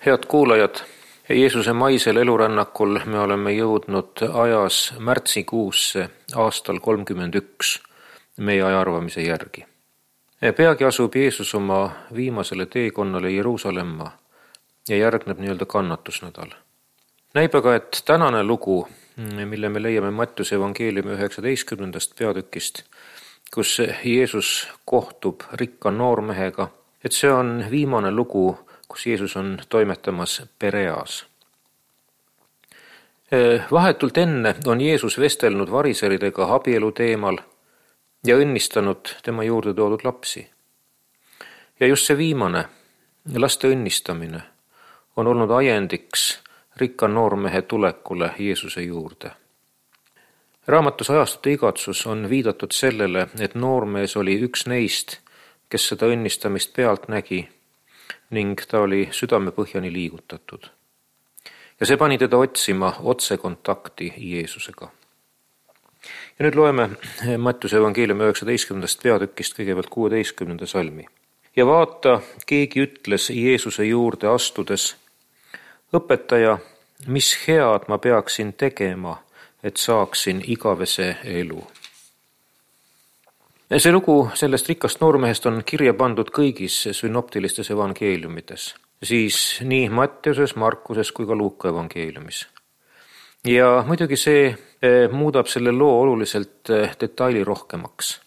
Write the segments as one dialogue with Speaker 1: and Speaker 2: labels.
Speaker 1: Head kuulajad, Jeesuse maisel elurännakul me oleme jõudnud ajas märtsikuusse aastal 31 meie aja arvamise järgi. Peagi asub Jeesus oma viimasele teekonnale Jeruusalemma ja järgneb kannatusnädal. Näib aga, et tänane lugu, mille me leiame Mattiuse evangeeliumi 19. peatükist, kus Jeesus kohtub rikka noormehega, et see on viimane lugu, kus Jeesus on toimetamas Pereas. Vahetult enne on Jeesus vestelnud variseridega abielu teemal ja õnnistanud tema juurde toodud lapsi. Ja just see viimane, laste õnnistamine, on olnud ajendiks rikka noormehe tulekule Jeesuse juurde. Raamatus Ajastute igatsus on viidatud sellele, et noormees oli üks neist, kes seda õnnistamist pealt nägi ning ta oli südamepõhjani liigutatud. Ja see pani teda otsima otsekontakti Jeesusega. Ja nüüd loeme Mattiuse evangeeliumi 19. peatükist kõigepealt 16. salmi. Ja vaata, keegi ütles Jeesuse juurde astudes: Õpetaja, mis head ma peaksin tegema, et saaksin igavese elu? See lugu sellest rikkast noormehest on kirja pandud kõigis synoptilistes evangeeliumides, siis nii Mattiuses, Markuses kui ka Luuka evangeeliumis. Ja muidugi see muudab selle loo oluliselt detailirohkemaks.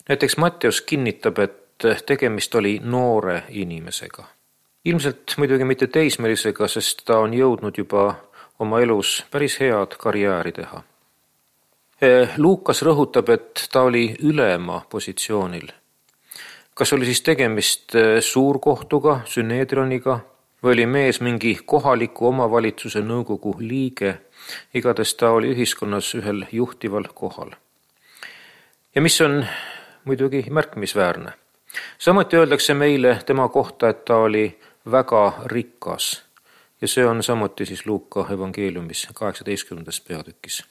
Speaker 1: Näiteks Mattius kinnitab, et tegemist oli noore inimesega. Ilmselt muidugi mitte teismelisega, sest ta on jõudnud juba oma elus päris head karjääri teha. Luukas rõhutab, et ta oli ülema positsioonil. Kas oli siis tegemist suurkohtuga, Synedrioniga, või oli mees mingi kohaliku omavalitsuse nõukogu liige, igatahes ta oli ühiskonnas ühel juhtival kohal. Ja mis on muidugi märkimisväärne. Samuti öeldakse meile tema kohta, et ta oli väga rikas, ja see on samuti siis Luuka evangeeliumis 18. peatükis.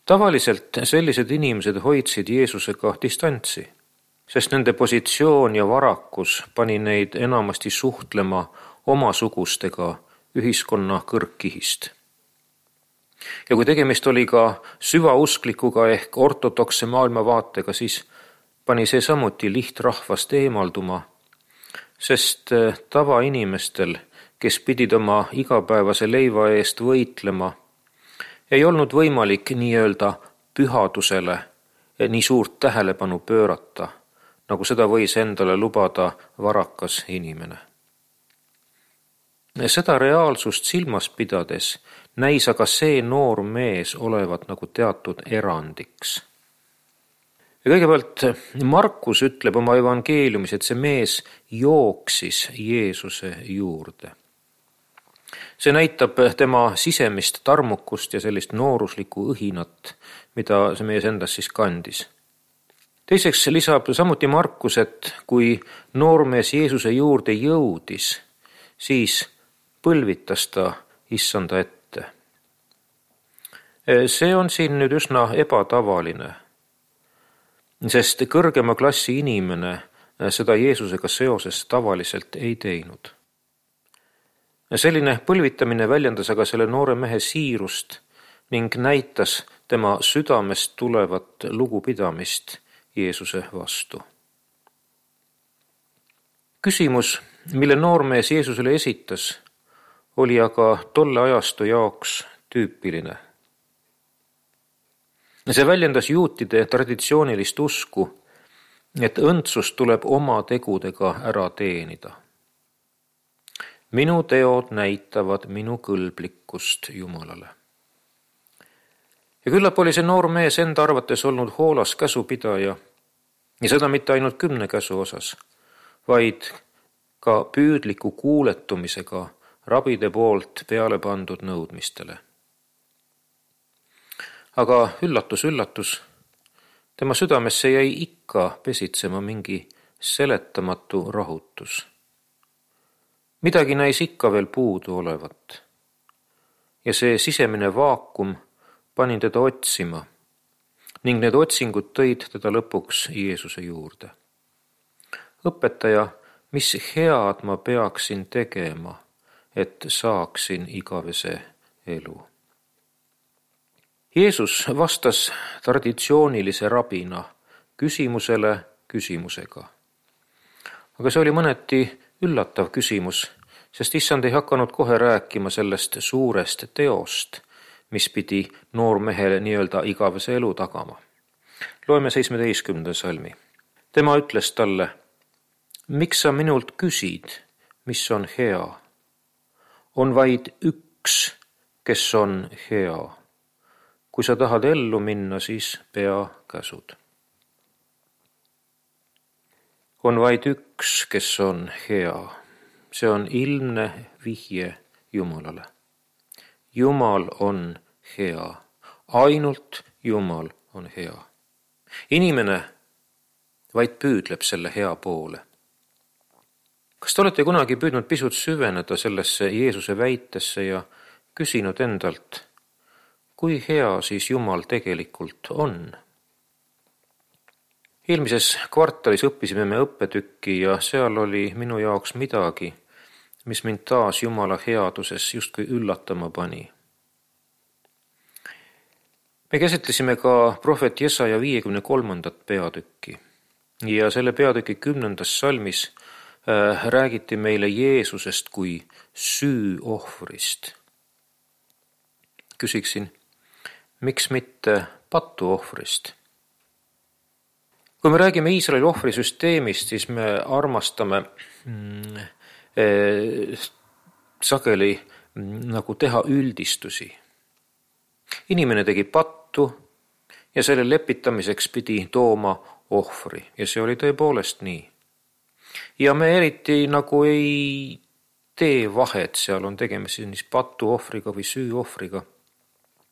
Speaker 1: Tavaliselt sellised inimesed hoidsid Jeesusega distantsi, sest nende positsioon ja varakus pani neid enamasti suhtlema omasugustega ühiskonna kõrgkihist. Ja kui tegemist oli ka süvausklikuga ehk ortodokse maailmavaatega, siis pani see samuti lihtrahvast eemalduma, sest tavainimestel, kes pidid oma igapäevase leiva eest võitlema, ei olnud võimalik nii-öelda pühadusele nii suurt tähelepanu pöörata, nagu seda võis endale lubada varakas inimene. Seda reaalsust silmas pidades näis aga see noor mees olevat nagu teatud erandiks. Ja kõigepealt Markus ütleb oma evangeeliumis, et see mees jooksis Jeesuse juurde. See näitab tema sisemist tarmukust ja sellist nooruslikku õhinat, mida see mees endas siis kandis. Teiseks lisab samuti Markus, et kui noormees Jeesuse juurde jõudis, siis põlvitas ta issanda ette. See on siin nüüd üsna ebatavaline, sest kõrgema klassi inimene seda Jeesusega seoses tavaliselt ei teinud. Selline põlvitamine väljendas aga selle noore mehe siirust ning näitas tema südamest tulevat lugupidamist Jeesuse vastu. Küsimus, mille noormees Jeesusele esitas, oli aga tolle ajastu jaoks tüüpiline. See väljendas juutide traditsioonilist usku, et õndsus tuleb oma tegudega ära teenida. Minu teod näitavad minu kõlblikkust Jumalale. Ja küllap oli see noor mees enda arvates olnud hoolas käsupidaja, ja seda mitte ainult 10 käsu osas, vaid ka püüdliku kuuletumisega rabide poolt peale pandud nõudmistele. Aga üllatus, tema südamesse jäi ikka pesitsema mingi seletamatu rahutus. Midagi näis ikka veel puudu olevat. Ja see sisemine vaakum pani teda otsima ning need otsingud tõid teda lõpuks Jeesuse juurde. Õpetaja, mis head ma peaksin tegema, et saaksin igavese elu. Jeesus vastas traditsioonilise rabina küsimusele küsimusega. Aga see oli mõneti üllatav küsimus, sest issand ei hakanud kohe rääkima sellest suurest teost, mis pidi noormehele nii-öelda igavese elu tagama. Loeme 17. salmi. Tema ütles talle: miks sa minult küsid, mis on hea? On vaid üks, kes on hea. Kui sa tahad ellu minna, siis pea käsud. On vaid üks, kes on hea. See on ilmne vihje Jumalale. Jumal on hea. Ainult Jumal on hea. Inimene vaid püüdleb selle hea poole. Kas te olete kunagi püüdnud pisut süveneda sellesse Jeesuse väitesse ja küsinud endalt, kui hea siis Jumal tegelikult on? Eelmises kvartalis õppisime me õppetükki ja seal oli minu jaoks midagi, mis mind taas Jumala headuses justkui üllatama pani. Me käsitlesime ka prohvet Jesaja 53. peatükki ja selle peatüki 10. salmis räägiti meile Jeesusest kui süüohvrist. Küsiksin, miks mitte patuohvrist? Kui me räägime Iisraeli ohvrisüsteemist, siis me armastame sageli nagu teha üldistusi. Inimene tegi pattu ja selle lepitamiseks pidi tooma ohvri ja see oli tõepoolest nii. Ja me eriti nagu ei tee vahet, seal on tegemist siis patuohvriga või süüohvriga.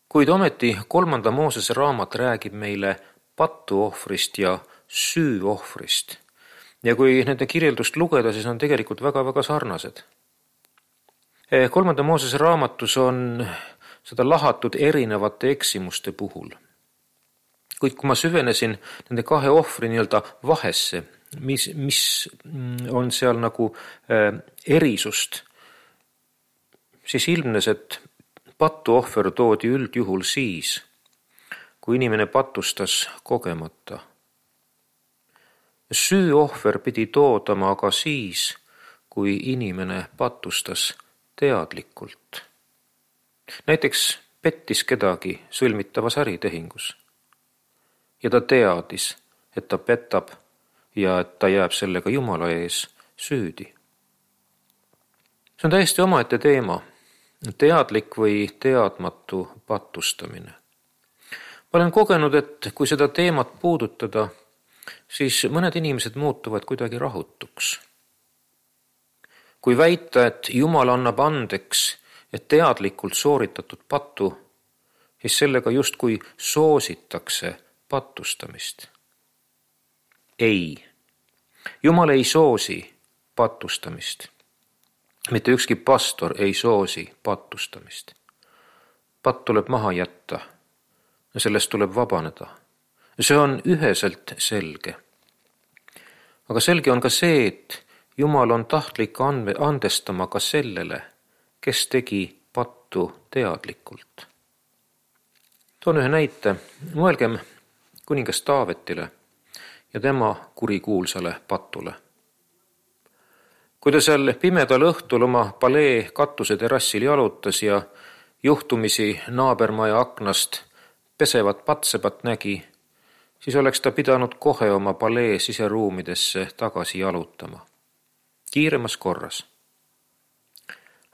Speaker 1: Kuid ometi 3. Moosese raamat räägib meile patuohvrist ja süüohvrist. Ja kui nende kirjeldust lugeda, siis on tegelikult väga-väga sarnased. 3. Moosese raamatus on seda lahatud erinevate eksimuste puhul. Kuid kui ma süvenesin nende kahe ohvri nii-öelda vahesse, mis on seal nagu erisust, siis ilmnes, et patuohver toodi üldjuhul siis, kui inimene patustas kogemata. Süüohver pidi toodama aga siis, kui inimene patustas teadlikult. Näiteks pettis kedagi sõlmitavas äritehingus ja ta teadis, et ta petab ja et ta jääb sellega Jumala ees süüdi. See on täiesti omaette teema, teadlik või teadmatu patustamine. Ma olen kogenud, et kui seda teemat puudutada, siis mõned inimesed muutuvad kuidagi rahutuks. Kui väita, et Jumal annab andeks, et teadlikult sooritatud patu, siis sellega justkui soositakse patustamist. Ei, Jumal ei soosi patustamist. Mitte ükski pastor ei soosi patustamist. Patt tuleb maha jätta ja sellest tuleb vabaneda. See on üheselt selge. Aga selge on ka see, et Jumal on tahtlik andestama ka sellele, kes tegi pattu teadlikult. Toon ühe näite. Mõelgem kuningas Taavetile ja tema kurikuulsale patule. Kui ta seal pimedal õhtul oma palee katuse terrassil jalutas ja juhtumisi naabermaja aknast pesevat patsepat nägi, siis oleks ta pidanud kohe oma palee siseruumidesse tagasi jalutama. Kiiremas korras.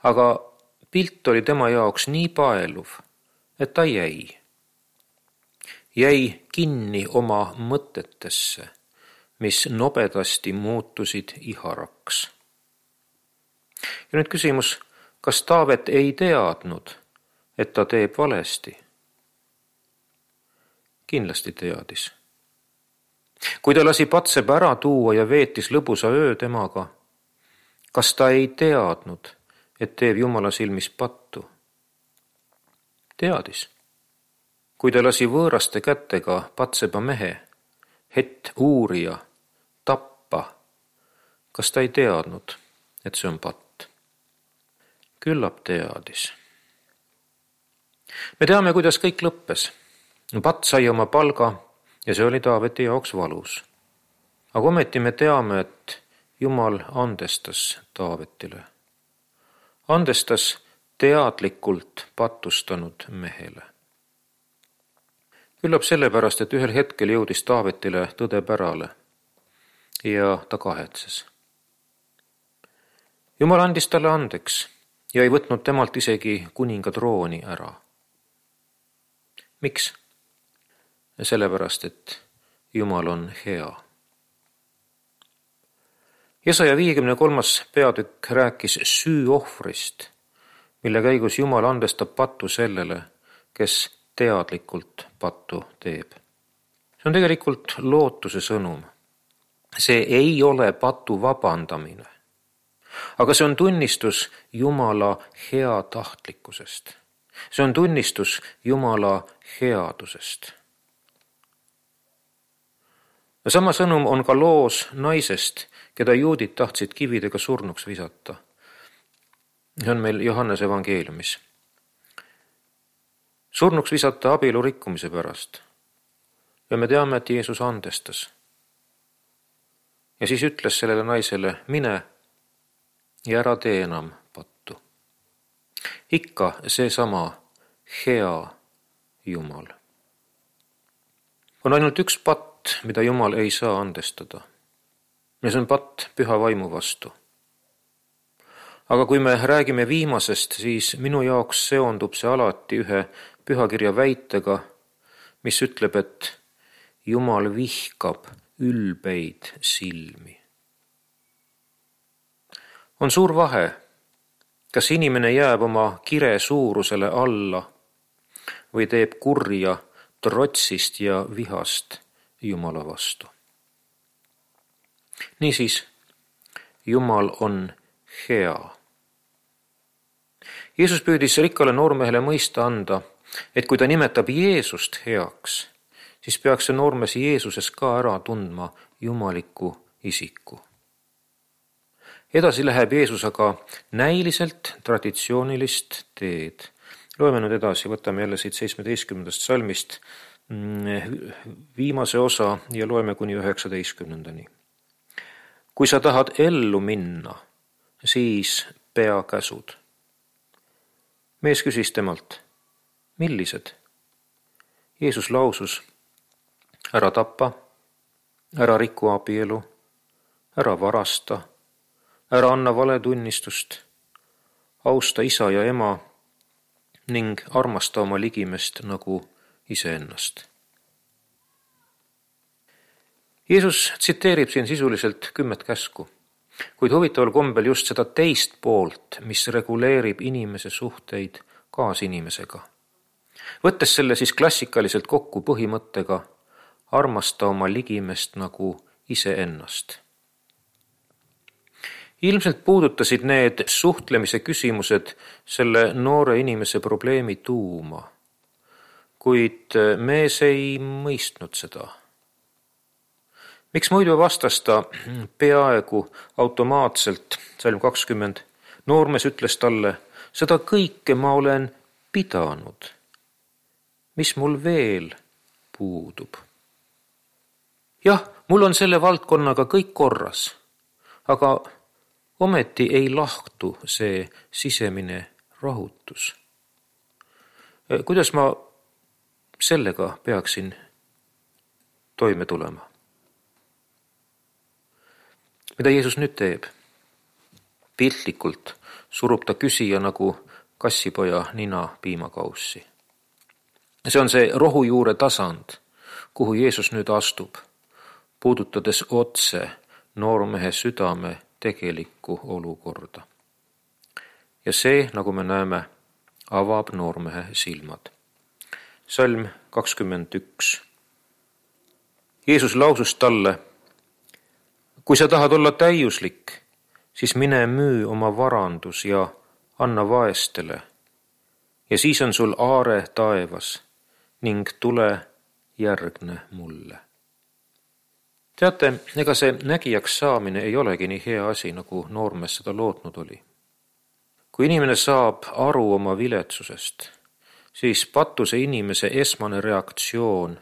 Speaker 1: Aga pilt oli tema jaoks nii paeluv, et ta jäi. Jäi kinni oma mõtetesse, mis nobedasti muutusid iharaks. Ja nüüd küsimus, kas Taavet ei teadnud, et ta teeb valesti? Kindlasti teadis. Kui ta lasi patseba ära tuua ja veetis lõbusa öö temaga, kas ta ei teadnud, et teeb Jumala silmis pattu? Teadis. Kui ta lasi võõraste kätega patseba mehe, uurija, tappa, kas ta ei teadnud, et see on patt? Küllap teadis. Me teame, kuidas kõik lõppes. Patt sai oma palga ja see oli Taaveti jaoks valus. Aga ometi me teame, et Jumal andestas Taavetile. Andestas teadlikult patustanud mehele. Küllap sellepärast, et ühel hetkel jõudis Taavetile tõde pärale ja ta kahetses. Jumal andis talle andeks ja ei võtnud temalt isegi kuninga trooni ära. Miks? Sellepärast, et Jumal on hea. Jesaja 53. peatükk rääkis süüohvrist, mille käigus Jumal andestab pattu sellele, kes teadlikult pattu teeb. See on tegelikult lootuse sõnum. See ei ole patu vabandamine, aga see on tunnistus Jumala heatahtlikkusest. See on tunnistus Jumala headusest. Sama sõnum on ka loos naisest, keda juudid tahtsid kividega surnuks visata. See on meil Johannese evangeeliumis. Surnuks visata abielu rikkumise pärast. Ja me teame, et Jeesus andestas. Ja siis ütles sellele naisele, mine ja ära tee enam pattu. Ikka seesama hea Jumal. On ainult üks patt, mida Jumal ei saa andestada. Ja see on patt püha vaimu vastu. Aga kui me räägime viimasest, siis minu jaoks seondub see alati ühe pühakirja väitega, mis ütleb, et Jumal vihkab ülbeid silmi. On suur vahe, kas inimene jääb oma kire suurusele alla või teeb kurja trotsist ja vihast Jumala vastu. Niisiis, Jumal on hea. Jeesus püüdis rikkale noormehele mõista anda, et kui ta nimetab Jeesust heaks, siis peaks see noormees Jeesuses ka ära tundma jumaliku isiku. Edasi läheb Jeesus aga näiliselt traditsioonilist teed. Loeme nüüd edasi, võtame jälle siit 17. salmist viimase osa ja loeme kuni 19. Kui sa tahad ellu minna, siis pea käsud. Mees küsis temalt, millised? Jeesus lausus, ära tapa, ära riku abielu, ära varasta, ära anna valetunnistust, austa isa ja ema ning armasta oma ligimest nagu iseennast. Jeesus tsiteerib siin sisuliselt 10 käsku, kuid huvitaval kombel just seda teist poolt, mis reguleerib inimese suhteid kaasinimesega. Võttes selle siis klassikaliselt kokku põhimõttega armasta oma ligimest nagu iseennast. Ilmselt puudutasid need suhtlemise küsimused selle noore inimese probleemi tuuma, kuid mees ei mõistnud seda. Miks muidu vastas ta peaaegu automaatselt, salm 20, noormees ütles talle, seda kõike ma olen pidanud. Mis mul veel puudub? Jah, mul on selle valdkonnaga kõik korras, aga ometi ei lahtu see sisemine rahutus. Kuidas ma sellega peaksin toime tulema? Mida Jeesus nüüd teeb? Piltlikult surub ta küsija nagu kassipoja nina piimakaussi. See on see rohujuure tasand, kuhu Jeesus nüüd astub, puudutades otse noormehe südame tegelikku olukorda. Ja see, nagu me näeme, avab noormehe silmad. Salm 21. Jeesus lausus talle, kui sa tahad olla täiuslik, siis mine müü oma varandus ja anna vaestele. Ja siis on sul aare taevas ning tule järgne mulle. Teate, ega see nägijaks saamine ei olegi nii hea asi, nagu noormees seda lootnud oli. Kui inimene saab aru oma viletsusest, siis patuse inimese esmane reaktsioon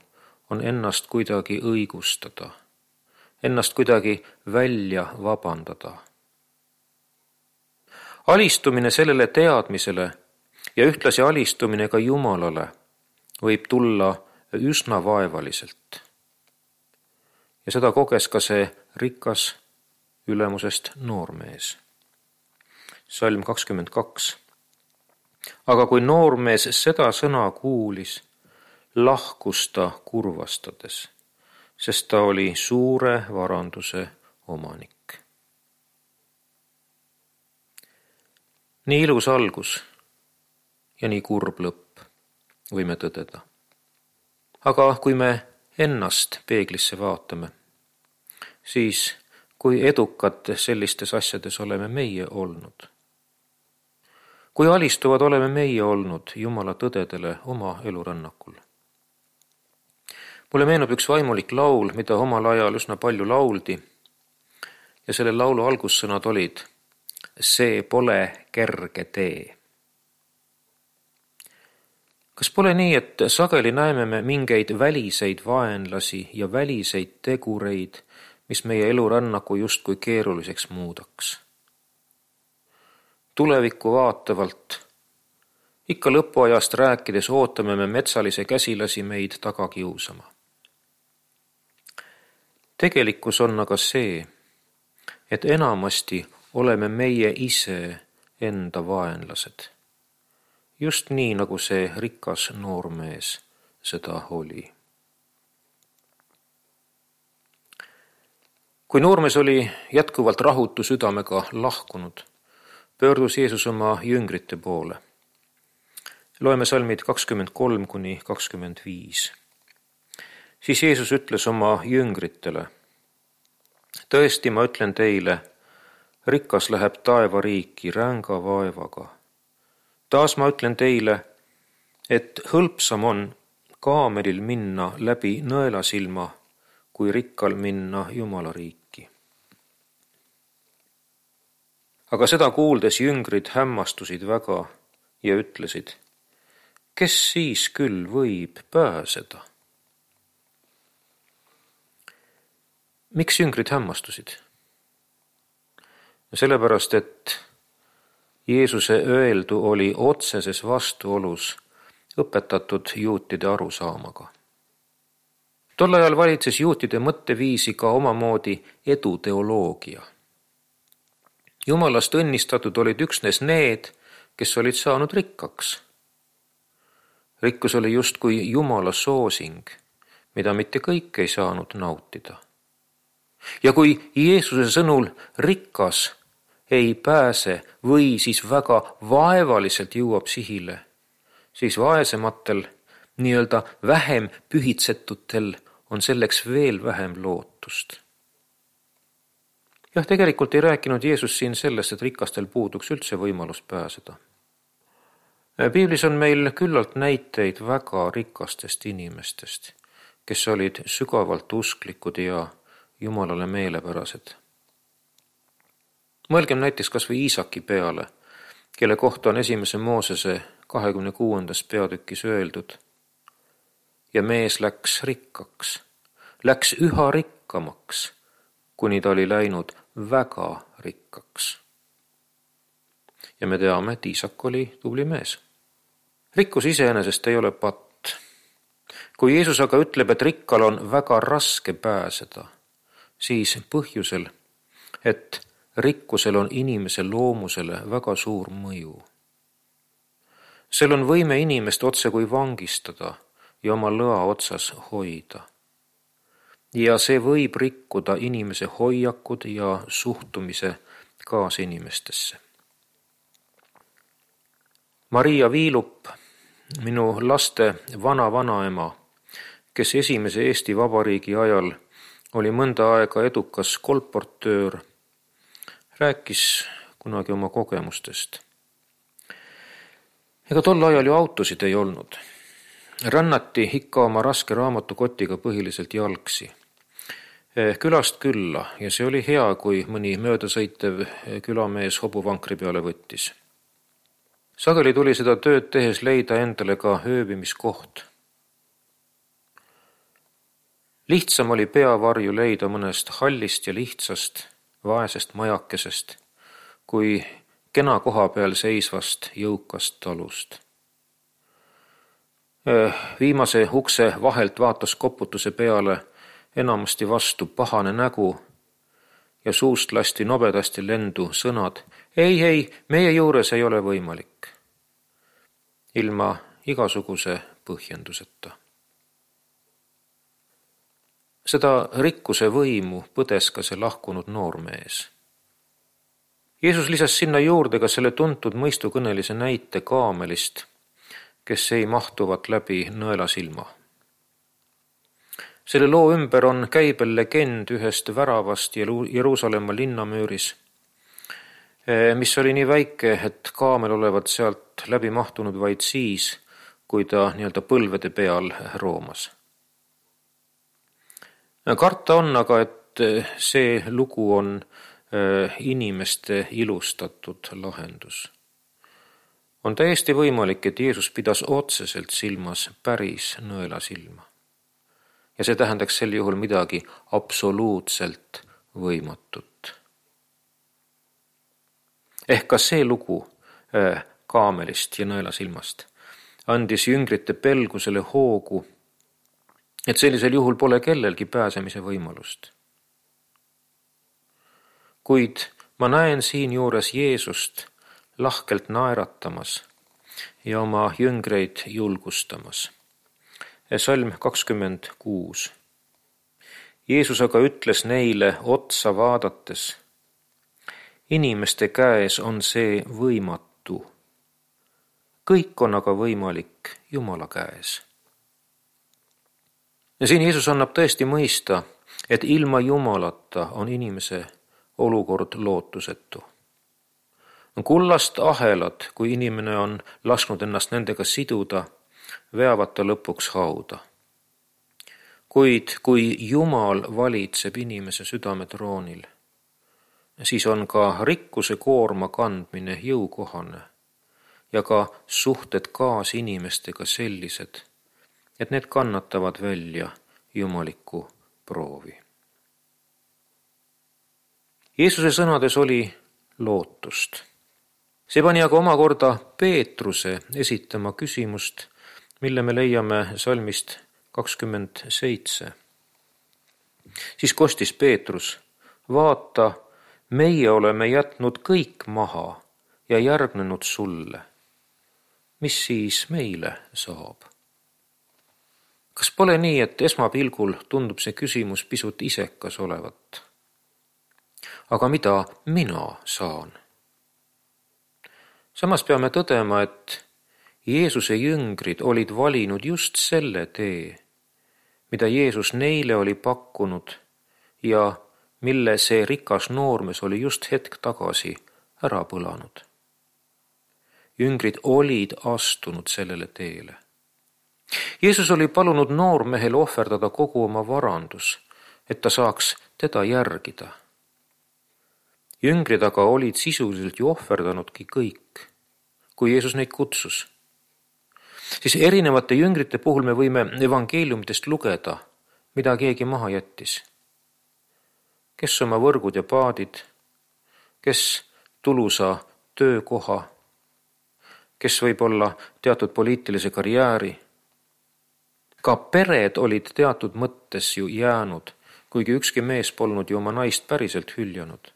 Speaker 1: on ennast kuidagi õigustada, ennast kuidagi välja vabandada. Alistumine sellele teadmisele ja ühtlasi alistumine ka Jumalale võib tulla üsna vaevaliselt. Ja seda koges ka see rikas ülemusest noormees. Salm 22. Aga kui noormees seda sõna kuulis, lahkus ta kurvastades, sest ta oli suure varanduse omanik. Nii ilus algus ja nii kurb lõpp, võime tõdeda. Aga kui me ennast peeglisse vaatame, siis kui edukad sellistes asjades oleme meie olnud. Kui alistuvad oleme meie olnud Jumala tõdedele oma elurännakul. Mulle meenub üks vaimulik laul, mida omal ajal üsna palju lauldi, ja selle laulu algussõnad olid: see pole kerge tee. Kas pole nii, et sageli näeme me mingeid väliseid vaenlasi ja väliseid tegureid, mis meie elurännaku justkui keeruliseks muudaks? Tulevikku vaatavalt, ikka lõpuajast rääkides ootame me metsalise käsilasi meid taga kiusama. Tegelikkus on aga see, et enamasti oleme meie ise enda vaenlased. Just nii, nagu see rikas noormees seda oli. Kui noormees oli jätkuvalt rahutu südamega lahkunud, pöördus Jeesus oma jüngrite poole. Loeme salmid 23-25. Siis Jeesus ütles oma jüngritele: tõesti, ma ütlen teile, rikas läheb taevariiki ränga vaevaga. Taas ma ütlen teile, et hõlpsam on kaamelil minna läbi nõelasilma, kui rikkal minna Jumala riiki. Aga seda kuuldes jüngrid hämmastusid väga ja ütlesid: kes siis küll võib pääseda? Miks jüngrid hämmastusid? Sellepärast, et Jeesuse öeldu oli otseses vastuolus õpetatud juutide arusaamaga. Tol ajal valitses juutide mõtteviisi ka omamoodi eduteoloogia. Jumalast õnnistatud olid üksnes need, kes olid saanud rikkaks. Rikkus oli justkui Jumala soosing, mida mitte kõik ei saanud nautida. Ja kui Jeesuse sõnul rikas ei pääse või siis väga vaevaliselt jõuab sihile, siis vaesematel, nii-öelda vähem pühitsetutel on selleks veel vähem lootust. Jah, tegelikult ei rääkinud Jeesus siin sellest, et rikastel puuduks üldse võimalus pääseda. Piiblis on meil küllalt näiteid väga rikastest inimestest, kes olid sügavalt usklikud ja Jumalale meelepärased. Mõelgem näiteks kas või Iisaki peale, kelle kohta on 1. Moosese 26. peatükis öeldud: ja mees läks rikkaks, läks üha rikkamaks, kuni ta oli läinud väga rikkaks. Ja me teame, et Iisak oli tubli mees. Rikkus iseenesest ei ole patt. Kui Jeesus aga ütleb, et rikkal on väga raske pääseda, siis põhjusel, et rikkusel on inimese loomusele väga suur mõju. Sel on võime inimest otse kui vangistada ja oma lõa otsas hoida. Ja see võib rikkuda inimese hoiakud ja suhtumise kaasinimestesse. Maria Viilup, minu laste vana-vanaema, kes esimese Eesti Vabariigi ajal oli mõnda aega edukas kolportöör, rääkis kunagi oma kogemustest. Ega tol ajal ju autosid ei olnud. Rännati ikka oma raske raamatukotiga põhiliselt jalgsi. külast külla ja see oli hea, kui mõni möödasõitev külamees hobuvankri peale võttis. Sageli tuli seda tööd tehes leida endale ka ööbimiskoht. Lihtsam oli peavarju leida mõnest hallist ja lihtsast, vaesest majakesest, kui kena koha peal seisvast jõukast talust. Viimase ukse vahelt vaatas koputuse peale enamasti vastu pahane nägu ja suust lasti nobedasti lendu sõnad ei, meie juures ei ole võimalik, ilma igasuguse põhjenduseta. Seda rikkuse võimu põdes ka see lahkunud noormees. Jeesus lisas sinna juurde ka selle tuntud mõistukõnelise näite kaamelist, kes ei mahtuvat läbi nõelasilma. Selle loo ümber on käibel legend ühest väravast Jeruusalemma linnamüüris, mis oli nii väike, et kaamel olevat sealt läbi mahtunud vaid siis, kui ta põlvede peal roomas. Karta on aga, et see lugu on inimeste ilustatud lahendus. On täiesti võimalik, et Jeesus pidas otseselt silmas päris nõelasilma. Ja see tähendaks sel juhul midagi absoluutselt võimatut. Ehk ka see lugu kaamelist ja nõelasilmast andis jüngrite pelgusele hoogu, et sellisel juhul pole kellelgi pääsemise võimalust. Kuid ma näen siin juures Jeesust lahkelt naeratamas ja oma jüngreid julgustamas. Salm 26. Jeesus aga ütles neile otsa vaadates, inimeste käes on see võimatu. Kõik on aga võimalik Jumala käes. Ja siin Jeesus annab tõesti mõista, et ilma Jumalata on inimese olukord lootusetu. Kullast ahelad, kui inimene on lasknud ennast nendega siduda, veavad ta lõpuks hauda. Kuid kui Jumal valitseb inimese südametroonil, siis on ka rikkuse koorma kandmine jõukohane ja ka suhted kaasinimestega sellised, et need kannatavad välja jumalikku proovi. Jeesuse sõnades oli lootust. See pani aga omakorda Peetruse esitama küsimust, mille me leiame salmist 27. Siis kostis Peetrus, vaata, meie oleme jätnud kõik maha ja järgnenud sulle. Mis siis meile saab? Kas pole nii, et esmapilgul tundub see küsimus pisut isekas olevat? Aga mida mina saan? Samas peame tõdema, et Jeesuse jüngrid olid valinud just selle tee, mida Jeesus neile oli pakkunud ja mille see rikas noormees oli just hetk tagasi ära põlanud. Jüngrid olid astunud sellele teele. Jeesus oli palunud noormehel ohverdada kogu oma varandus, et ta saaks teda järgida. Jüngrid aga olid sisuliselt ju ohverdanudki kõik, kui Jeesus neid kutsus. Siis erinevate jüngrite puhul me võime evangeeliumitest lugeda, mida keegi maha jättis. Kes oma võrgud ja paadid, kes tulusa töökoha, kes võib olla teatud poliitilise karjääri. Ka pered olid teatud mõttes ju jäänud, kuigi ükski mees polnud ju oma naist päriselt hüljanud.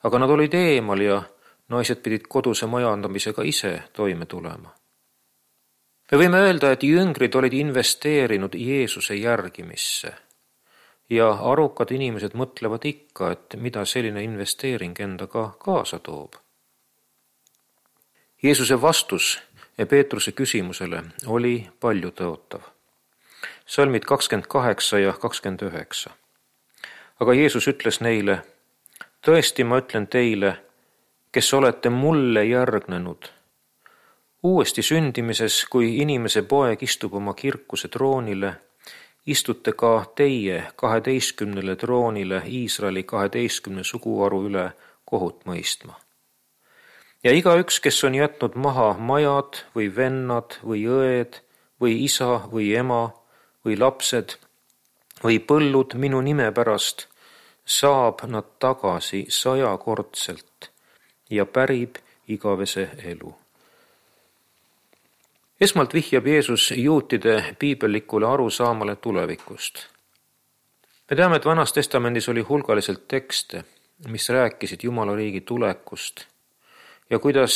Speaker 1: Aga nad olid eemal ja naised pidid koduse majandamisega ise toime tulema. Me võime öelda, et jüngrid olid investeerinud Jeesuse järgimisse ja arukad inimesed mõtlevad ikka, et mida selline investeering endaga kaasa toob. Jeesuse vastus Peetruse küsimusele oli paljutõotav. Salmid 28 ja 29. Aga Jeesus ütles neile, tõesti ma ütlen teile, kes olete mulle järgnenud, uuesti sündimises, kui inimese poeg istub oma kirkuse troonile, istute ka teie 12 troonile Iisraeli 12 suguharu üle kohut mõistma. Ja igaüks, kes on jätnud maha majad või vennad või õed või isa või ema või lapsed või põllud minu nime pärast, saab nad tagasi 100-kordselt ja pärib igavese elu. Esmalt vihjab Jeesus juutide piibellikule arusaamale tulevikust. Me teame, et Vanas Testamendis oli hulgaliselt tekste, mis rääkisid Jumala riigi tulekust ja kuidas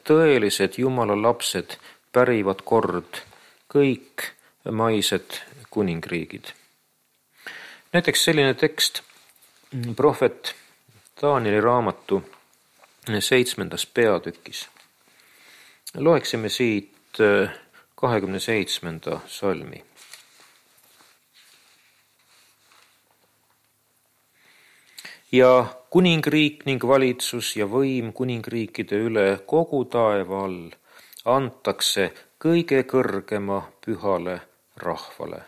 Speaker 1: tõelised Jumala lapsed pärivad kord kõik maised kuningriigid. Näiteks selline tekst prohvet Danieli raamatu 7. peatükis. Loeksime siit 27. salmi. Ja kuningriik ning valitsus ja võim kuningriikide üle kogu taeva all antakse kõige kõrgema pühale rahvale.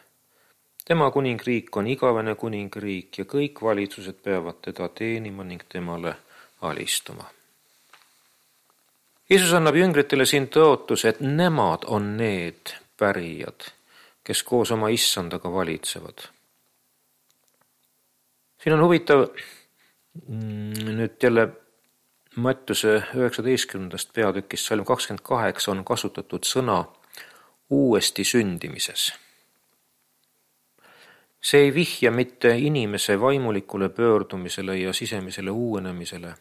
Speaker 1: Tema kuningriik on igavene kuningriik ja kõik valitsused peavad teda teenima ning temale alistuma. Jeesus annab jüngritele siin tõotuse, et nemad on need pärijad, kes koos oma issandaga valitsevad. Siin on huvitav nüüd jälle Mattiuse 19. peatükis salm 28 on kasutatud sõna uuesti sündimises. See ei vihja mitte inimese vaimulikule pöördumisele ja sisemisele uuenemisele,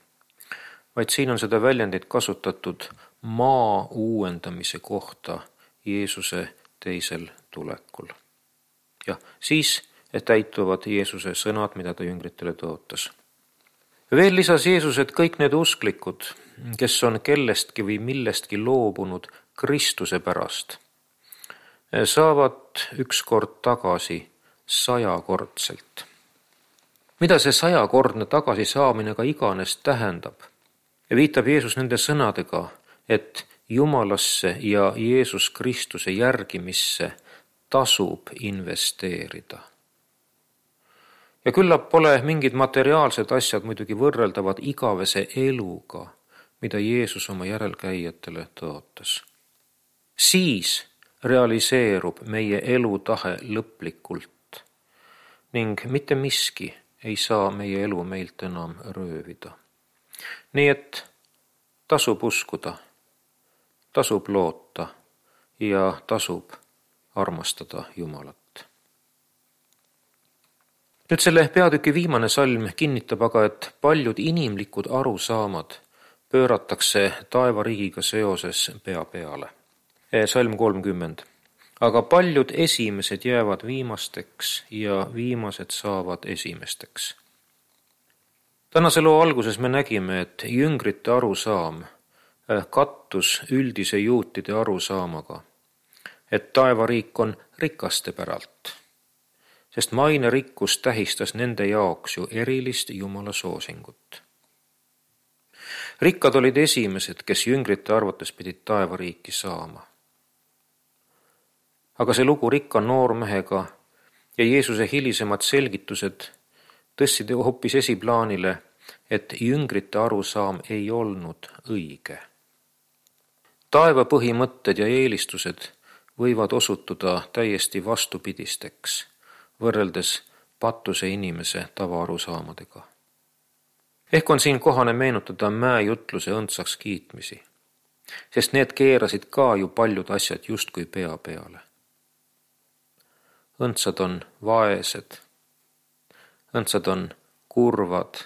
Speaker 1: vaid siin on seda väljendit kasutatud maa uuendamise kohta Jeesuse teisel tulekul. Ja siis, et täituvad Jeesuse sõnad, mida ta jüngritele tõotas. Veel lisas Jeesus, et kõik need usklikud, kes on kellestki või millestki loobunud Kristuse pärast, saavad ükskord tagasi 100-kordselt. Mida see 100-kordne tagasisaamine ka iganes tähendab? Viitab Jeesus nende sõnadega, et Jumalasse ja Jeesus Kristuse järgimisse tasub investeerida. Ja küllap pole mingid materiaalsed asjad muidugi võrreldavad igavese eluga, mida Jeesus oma järelkäijatele tõotas. Siis realiseerub meie elutahe lõplikult ning mitte miski ei saa meie elu meilt enam röövida. Nii et tasub uskuda, tasub loota ja tasub armastada Jumalat. Nüüd selle peatüki viimane salm kinnitab aga, et paljud inimlikud arusaamad pööratakse taevariigiga seoses pea peale. Salm 30. Aga paljud esimesed jäävad viimasteks ja viimased saavad esimesteks. Tänase loo alguses me nägime, et jüngrite arusaam kattus üldise juutide arusaamaga, et taevariik on rikaste päralt, sest maine rikkus tähistas nende jaoks ju erilist Jumala soosingut. Rikkad olid esimesed, kes jüngrite arvates pidid taevariiki saama. Aga see lugu rikka noormehega ja Jeesuse hilisemad selgitused tõstsid hoopis esiplaanile, et jüngrite arusaam ei olnud õige. Taeva põhimõtted ja eelistused võivad osutuda täiesti vastupidisteks, võrreldes patuse inimese tavaarusaamadega. Ehk on siin kohane meenutada mäejutluse õndsaks kiitmisi, sest need keerasid ka ju paljud asjad justkui pea peale. Õndsad on vaesed, õndsad on kurvad,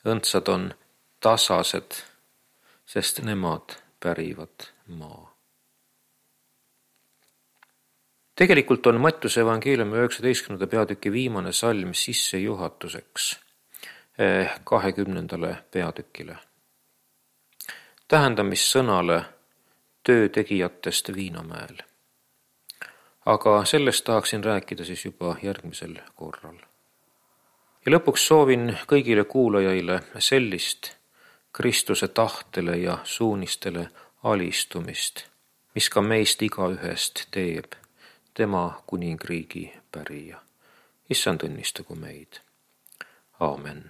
Speaker 1: õndsad on tasased, sest nemad pärivad maa. Tegelikult on Mattiuse evangeeliumi 19. peatüki viimane salm sissejuhatuseks 20. peatükile. Tähendamissõnale töö tegijatest Viinamäel. Aga sellest tahaksin rääkida siis juba järgmisel korral. Ja lõpuks soovin kõigile kuulajaile sellist Kristuse tahtele ja suunistele alistumist, mis ka meist igaühest teeb tema kuningriigi pärija. Issand õnnistagu meid. Aamen.